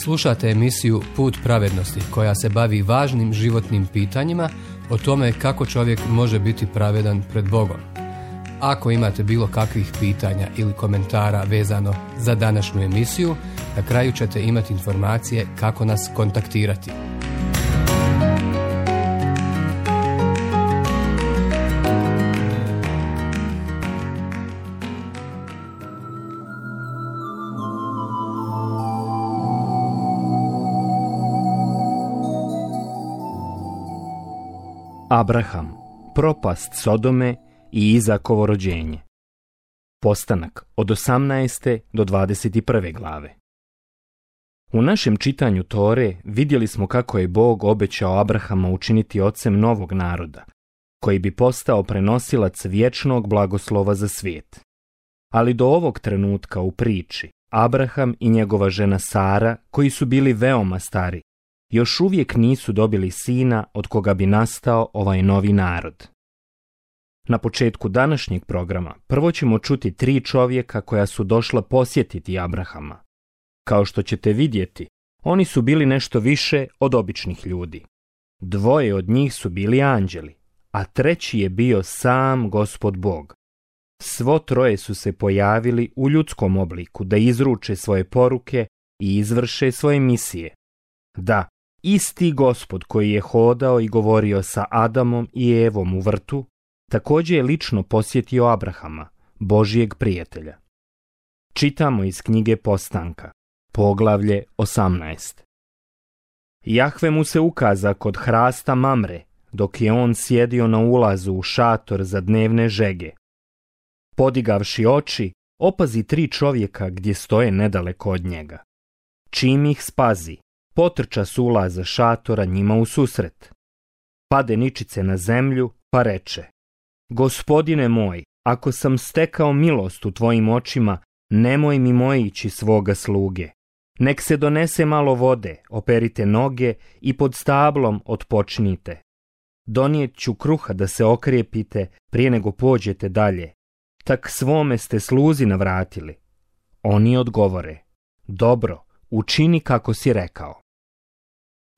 Slušate emisiju Put pravednosti koja se bavi važnim životnim pitanjima o tome kako čovjek može biti pravedan pred Bogom. Ako imate bilo kakvih pitanja ili komentara vezano za današnju emisiju, na kraju ćete imati informacije kako nas kontaktirati. Abraham, propast Sodome i Izakovo rođenje. Postanak od 18. do 21. glave. U našem čitanju Tore vidjeli smo kako je Bog obećao Abrahama učiniti ocem novog naroda, koji bi postao prenosilac vječnog blagoslova za svijet. Ali do ovog trenutka u priči, Abraham i njegova žena Sara, koji su bili veoma stari, još uvijek nisu dobili sina od koga bi nastao ovaj novi narod. Na početku današnjeg programa prvo ćemo čuti 3 čovjeka koja su došla posjetiti Abrahama. Kao što ćete vidjeti, oni su bili nešto više od običnih ljudi. 2 od njih su bili anđeli, a 3 je bio sam Gospod Bog. Svo 3 su se pojavili u ljudskom obliku da izruče svoje poruke i izvrše svoje misije. Da, isti Gospod koji je hodao i govorio sa Adamom i Evom u vrtu, također je lično posjetio Abrahama, Božijeg prijatelja. Čitamo iz knjige Postanka, poglavlje 18. Jahve mu se ukaza kod hrasta Mamre, dok je on sjedio na ulazu u šator za dnevne žege. Podigavši oči, opazi 3 čovjeka gdje stoje nedaleko od njega. Čim ih spazi, potrča s ulaza šatora njima u susret. Pade ničice na zemlju, pa reče: Gospodine moj, ako sam stekao milost u tvojim očima, nemoj mi mojići svoga sluge. Nek se donese malo vode, operite noge i pod stablom otpočnite. Donijet ću kruha da se okrijepite prije nego pođete dalje. Tak svome ste sluzi navratili. Oni odgovore: Dobro, učini kako si rekao.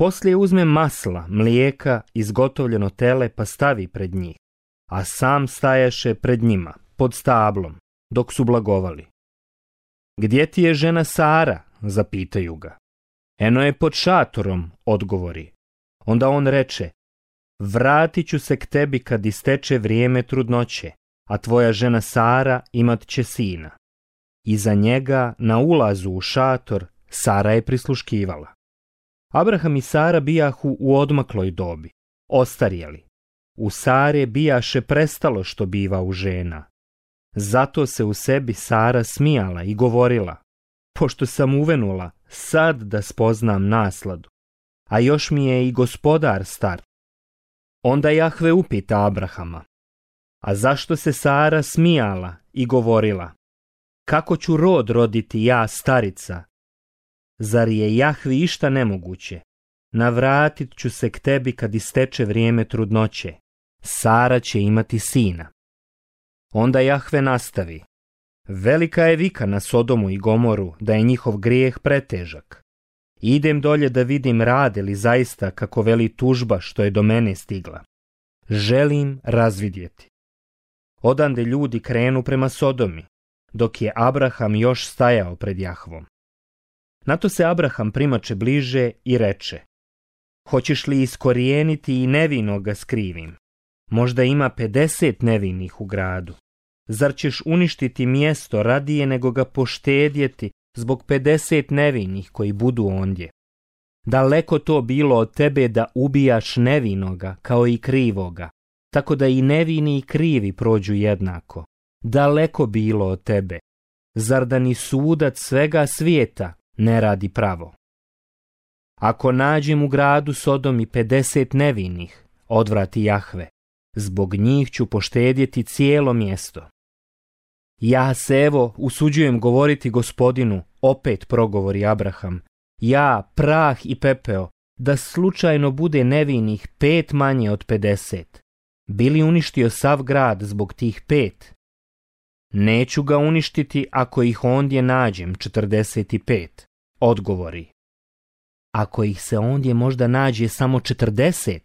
Poslije uzme masla, mlijeka, izgotovljeno tele pa stavi pred njih, a sam stajaše pred njima, pod stablom, dok su blagovali. Gdje ti je žena Sara? Zapitaju ga. Eno je pod šatorom, odgovori. Onda on reče: Vratit ću se k tebi kad isteče vrijeme trudnoće, a tvoja žena Sara imat će sina. Iza njega, na ulazu u šator, Sara je prisluškivala. Abraham i Sara bijahu u odmakloj dobi, ostarjeli. U Sare bijaše prestalo što biva u žena. Zato se u sebi Sara smijala i govorila: Pošto sam uvenula, sad da spoznam nasladu, a još mi je i gospodar star. Onda Jahve upita Abrahama: A zašto se Sara smijala i govorila: Kako ću rod roditi ja, starica? Zar je Jahvi išta nemoguće? Navratit ću se k tebi kad isteče vrijeme trudnoće. Sara će imati sina. Onda Jahve nastavi: Velika je vika na Sodomu i Gomoru da je njihov grijeh pretežak. Idem dolje da vidim rade li zaista kako veli tužba što je do mene stigla. Želim razvidjeti. Odande ljudi krenu prema Sodomi, dok je Abraham još stajao pred Jahvom. Na to se Abraham primače bliže i reče: Hoćeš li iskorijeniti i nevinoga skrivim? Možda ima 50 nevinih u gradu. Zar ćeš uništiti mjesto radije nego ga poštedjeti zbog 50 nevinih koji budu ondje? Daleko to bilo od tebe da ubijaš nevinoga kao i krivoga, tako da i nevini i krivi prođu jednako. Daleko bilo od tebe. Zar da ni sudac svega svijeta ne radi pravo? Ako nađem u gradu Sodomi 50 nevinih, odvrati Jahve, zbog njih ću poštedjeti cijelo mjesto. Ja se evo usuđujem govoriti Gospodinu, opet progovori Abraham, ja, prah i pepeo, da slučajno bude nevinih 5 manje od 50. Bi li uništio sav grad zbog tih 5? Neću ga uništiti ako ih ondje nađem 45, odgovori. ako ih se ondje možda nađe samo 40,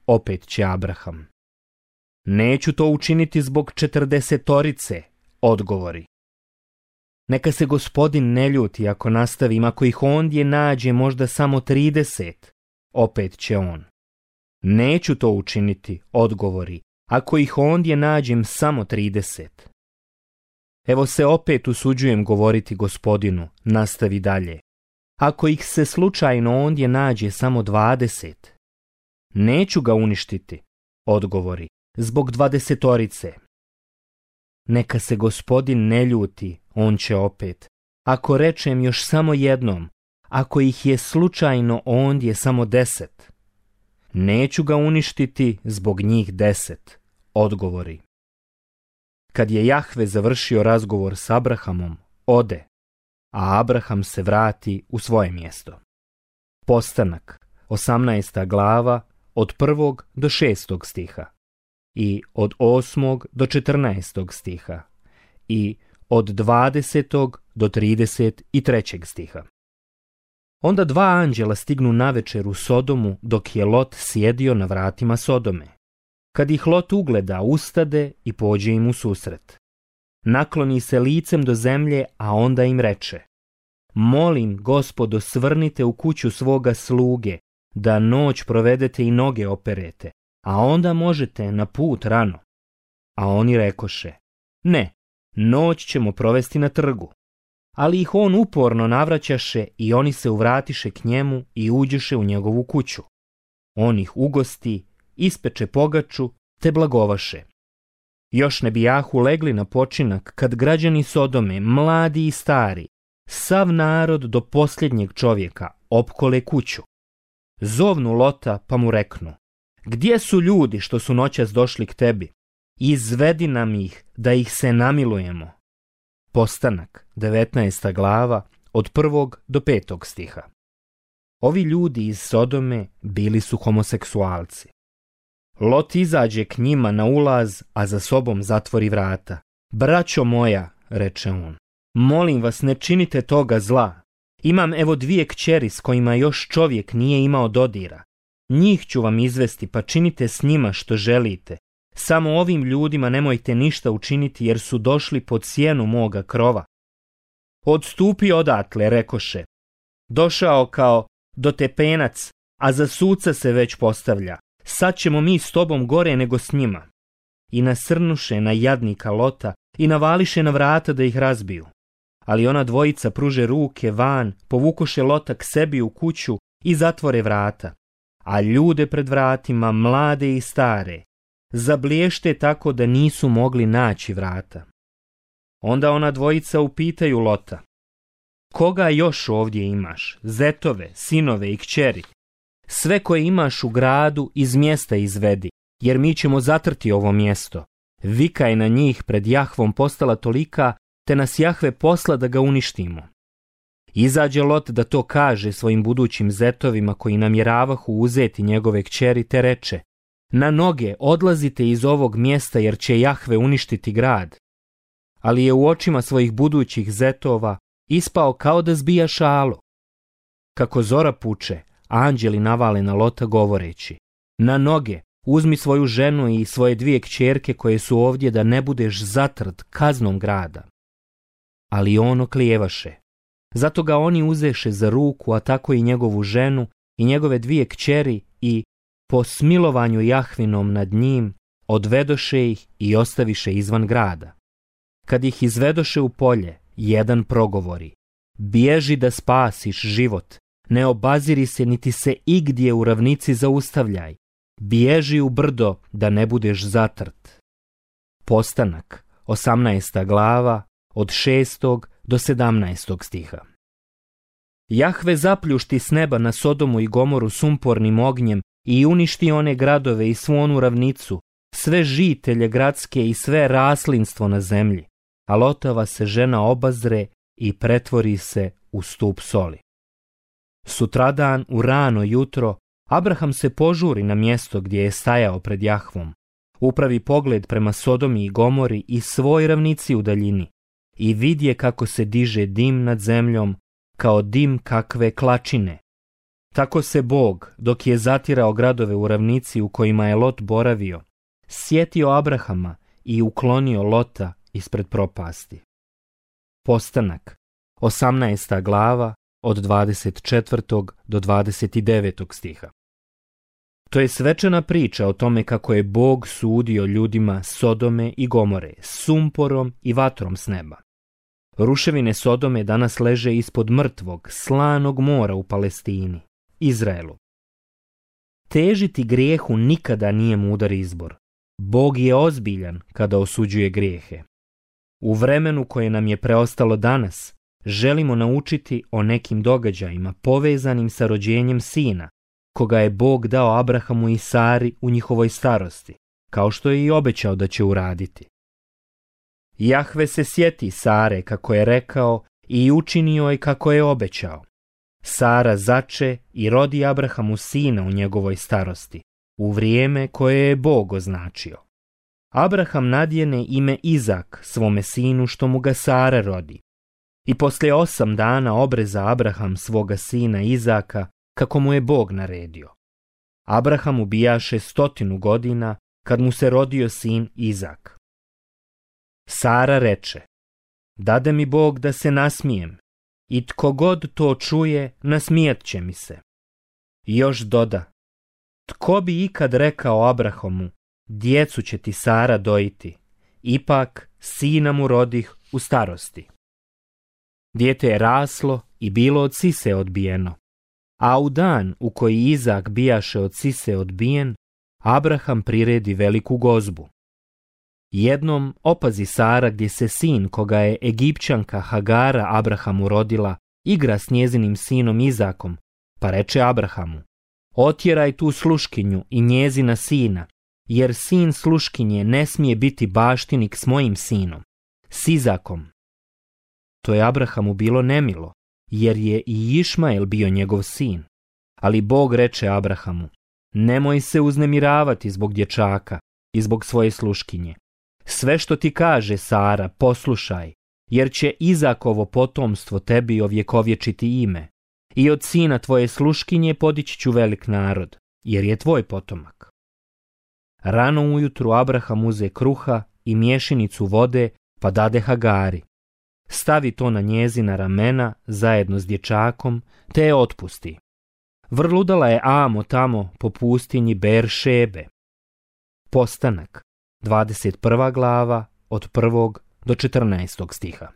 opet će Abraham. Neću to učiniti zbog 40, odgovori. Neka se Gospodin ne ljuti ako nastavim, ako ih ondje nađe možda samo 30, opet će on. Neću to učiniti, odgovori, ako ih ondje nađem samo 30. Evo se opet usuđujem govoriti Gospodinu, nastavi dalje. Ako ih se slučajno ondje nađe samo 20, neću ga uništiti, odgovori, zbog 20. Neka se Gospodin ne ljuti, on će opet. Ako rečem još samo jednom, ako ih je slučajno ondje samo 10, neću ga uništiti zbog njih 10, odgovori. Kad je Jahve završio razgovor s Abrahamom, ode, a Abraham se vrati u svoje mjesto. Postanak, 18. glava, od 1. do 6. stiha, i od 8. do 14. stiha, i od 20. do 33. stiha. Onda 2 anđela stignu navečer u Sodomu dok je Lot sjedio na vratima Sodome. Kad ih Lot ugleda, ustade i pođe im u susret. Nakloni se licem do zemlje, a onda im reče: Molim, Gospodo, svrnite u kuću svoga sluge, da noć provedete i noge operete, a onda možete na put rano. A oni rekoše: Ne, noć ćemo provesti na trgu. Ali ih on uporno navraćaše i oni se uvratiše k njemu i uđeše u njegovu kuću. On ih ugosti, ispeče pogaču, te blagovaše. Još ne bijahu legli na počinak, kad građani Sodome, mladi i stari, sav narod do posljednjeg čovjeka, opkole kuću. Zovnu Lota pa mu reknu: Gdje su ljudi što su noćas došli k tebi? Izvedi nam ih, da ih se namilujemo. Postanak, 19. glava, od 1. do 5. stiha. Ovi ljudi iz Sodome bili su homoseksualci. Lot izađe k njima na ulaz, a za sobom zatvori vrata. Braćo moja, reče on, molim vas, ne činite toga zla. Imam evo 2 kćeri s kojima još čovjek nije imao dodira. Njih ću vam izvesti, pa činite s njima što želite. Samo ovim ljudima nemojte ništa učiniti, jer su došli pod sjenu moga krova. Odstupi odatle, rekoše. Došao kao dotepenac, a za suca se već postavlja. Sad ćemo mi s tobom gore nego s njima. I nasrnuše na jadnika Lota i navališe na vrata da ih razbiju. Ali ona dvojica pruže ruke van, povukoše Lota k sebi u kuću i zatvore vrata. A ljude pred vratima, mlade i stare, zablješte tako da nisu mogli naći vrata. Onda ona dvojica upitaju Lota: Koga još ovdje imaš? Zetove, sinove i kćeri? Sve koje imaš u gradu iz mjesta izvedi, jer mi ćemo zatrti ovo mjesto. Vika je na njih pred Jahvom postala tolika, te nas Jahve posla da ga uništimo. Izađe Lot da to kaže svojim budućim zetovima koji namjeravahu uzeti njegove kćeri, te reče: Na noge odlazite iz ovog mjesta, jer će Jahve uništiti grad. Ali je u očima svojih budućih zetova ispao kao da zbija šalu. Kako zora puče, anđeli navale na Lota govoreći: Na noge, uzmi svoju ženu i svoje 2 kćerke koje su ovdje, da ne budeš zatrt kaznom grada. Ali on oklijevaše. Zato ga oni uzeše za ruku, a tako i njegovu ženu i njegove 2 kćeri, i po smilovanju Jahvinom nad njim odvedoše ih i ostaviše izvan grada. Kad ih izvedoše u polje, jedan progovori: Bježi da spasiš život, ne obaziri se niti se igdje u ravnici zaustavljaj, bježi u brdo da ne budeš zatrt. Postanak, 18. glava, od 6. do 17. stiha. Jahve zapljušti s neba na Sodomu i Gomoru sumpornim ognjem i uništi one gradove i svu onu ravnicu, sve žitelje gradske i sve raslinstvo na zemlji, a Lotova se žena obazre i pretvori se u stup soli. Sutradan u rano jutro Abraham se požuri na mjesto gdje je stajao pred Jahvom, upravi pogled prema Sodomi i Gomori i svoj ravnici u daljini i vidje kako se diže dim nad zemljom kao dim kakve klačine, Tako se Bog, dok je zatirao gradove u ravnici u kojima je Lot boravio, sjetio Abrahama i uklonio Lota ispred propasti. Postanak, 18. glava, od 24. do 29. stiha. To je svečana priča o tome kako je Bog sudio ljudima Sodome i Gomore, sumporom i vatrom s neba. Ruševine Sodome danas leže ispod mrtvog, slanog mora u Palestini, Izraelu. Težiti grijehu nikada nije mudar izbor. Bog je ozbiljan kada osuđuje grijehe. U vremenu koje nam je preostalo danas, želimo naučiti o nekim događajima povezanim sa rođenjem sina, koga je Bog dao Abrahamu i Sari u njihovoj starosti, kao što je i obećao da će uraditi. Jahve se sjeti Sare kako je rekao i učinio je kako je obećao. Sara zače i rodi Abrahamu sina u njegovoj starosti, u vrijeme koje je Bog označio. Abraham nadjene ime Izak svome sinu što mu ga Sara rodi. I poslije 8 dana obreza Abraham svoga sina Izaka kako mu je Bog naredio. Abraham ubijaše 100 godina kad mu se rodio sin Izak. Sara reče, dade mi Bog da se nasmijem, i tko god to čuje, nasmijat će mi se. I još doda, tko bi ikad rekao Abrahamu, djecu će ti Sara dojiti, ipak sina mu rodih u starosti. Dijete je raslo i bilo od sise odbijeno, a u dan u koji Izak bijaše od sise odbijen, Abraham priredi veliku gozbu. Jednom opazi Sara gdje se sin koga je Egipćanka Hagara Abrahamu rodila igra s njezinim sinom Izakom, pa reče Abrahamu, otjeraj tu sluškinju i njezina sina, jer sin sluškinje ne smije biti baštinik s mojim sinom, s Izakom. To je Abrahamu bilo nemilo, jer je i Išmael bio njegov sin. Ali Bog reče Abrahamu, nemoj se uznemiravati zbog dječaka i zbog svoje sluškinje. Sve što ti kaže Sara, poslušaj, jer će Izakovo potomstvo tebi ovjekovječiti ime. I od sina tvoje sluškinje podići ću velik narod, jer je tvoj potomak. Rano ujutru Abraham uze kruha i mješinicu vode, pa dade Hagari. Stavi to na njezina ramena zajedno s dječakom, te je otpusti. Vrludala je amo tamo po pustinji Ber-šebe. Postanak, 21. glava, od 1. do 14. stiha.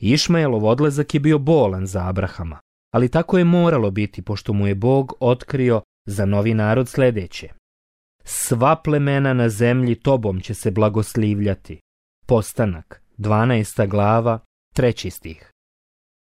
Išmaelov odlazak je bio bolan za Abrahama, ali tako je moralo biti, pošto mu je Bog otkrio za novi narod sljedeće. Sva plemena na zemlji tobom će se blagoslivljati. Postanak, 12. glava, 3. stih.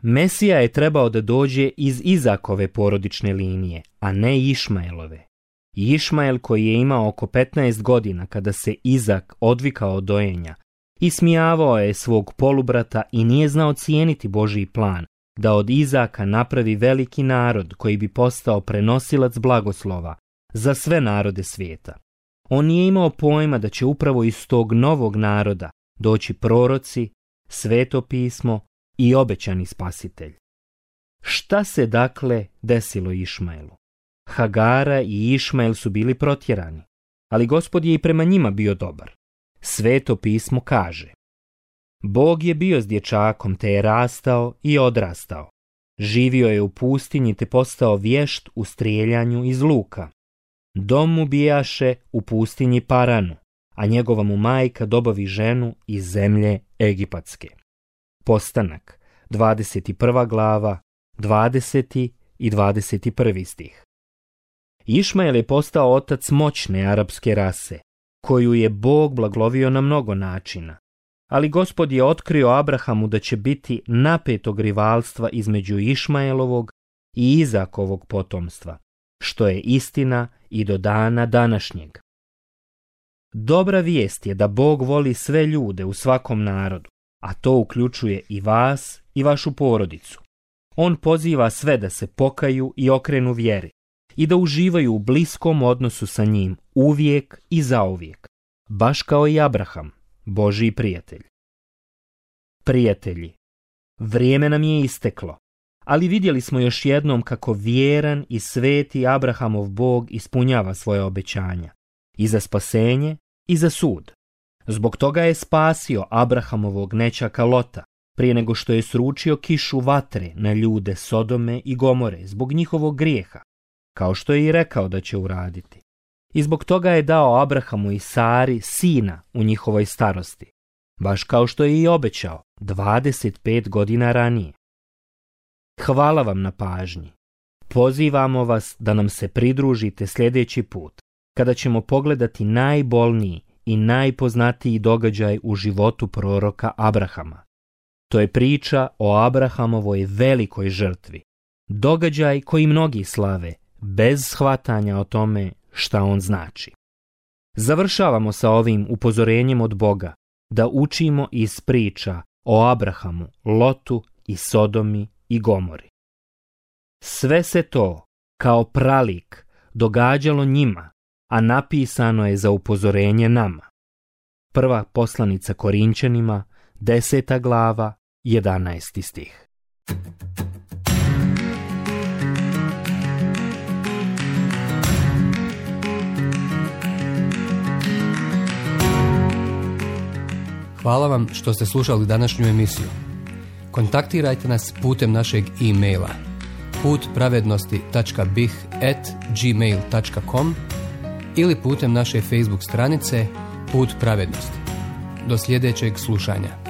Mesija je trebao da dođe iz Izakove porodične linije, a ne Išmaelove. Išmael, koji je imao oko 15 godina kada se Izak odvikao od dojenja, ismijavao je svog polubrata i nije znao cijeniti Božji plan da od Izaka napravi veliki narod koji bi postao prenosilac blagoslova za sve narode svijeta. On nije imao pojma da će upravo iz tog novog naroda doći proroci, sveto pismo i obećani spasitelj. Šta se dakle desilo Išmaelu? Hagara i Išmael su bili protjerani, ali Gospod je i prema njima bio dobar. Sveto pismo kaže: Bog je bio s dječakom, te je rastao i odrastao. Živio je u pustinji, te postao vješt u strijeljanju iz luka. Dom mu bijaše u pustinji Paranu, a njegova mu majka dobavi ženu iz zemlje Egipatske. Postanak, 21. glava, 20. i 21. stih. Išmael je postao otac moćne arapske rase, koju je Bog blaglovio na mnogo načina. Ali Gospod je otkrio Abrahamu da će biti napetog rivalstva između Išmaelovog i Izakovog potomstva, što je istina i do dana današnjeg. Dobra vijest je da Bog voli sve ljude u svakom narodu, a to uključuje i vas i vašu porodicu. On poziva sve da se pokaju i okrenu vjeri i da uživaju u bliskom odnosu sa njim uvijek i zauvijek, baš kao i Abraham, Božji prijatelj. Prijatelji, vrijeme nam je isteklo, ali vidjeli smo još jednom kako vjeran i sveti Abrahamov Bog ispunjava svoje obećanja. I za spasenje i za sud. Zbog toga je spasio Abrahamovog nećaka Lota, prije nego što je sručio kišu vatre na ljude Sodome i Gomore zbog njihovog grijeha, kao što je i rekao da će uraditi. I zbog toga je dao Abrahamu i Sari sina u njihovoj starosti, baš kao što je i obećao 25 godina ranije. Hvala vam na pažnji. Pozivamo vas da nam se pridružite sljedeći put, kada ćemo pogledati najbolniji i najpoznatiji događaj u životu proroka Abrahama. To je priča o Abrahamovoj velikoj žrtvi. Događaj koji mnogi slave, bez shvatanja o tome šta on znači. Završavamo sa ovim upozorenjem od Boga da učimo iz priča o Abrahamu, Lotu i Sodomi i Gomori. Sve se to, kao pralik, događalo njima, a napisano je za upozorenje nama. Prva poslanica Korinćanima, 10. glava, 11. stih. Hvala vam što ste slušali današnju emisiju. Kontaktirajte nas putem našeg e-maila putpravednosti.bih@gmail.com ili putem naše Facebook stranice Put pravednosti. Do sljedećeg slušanja.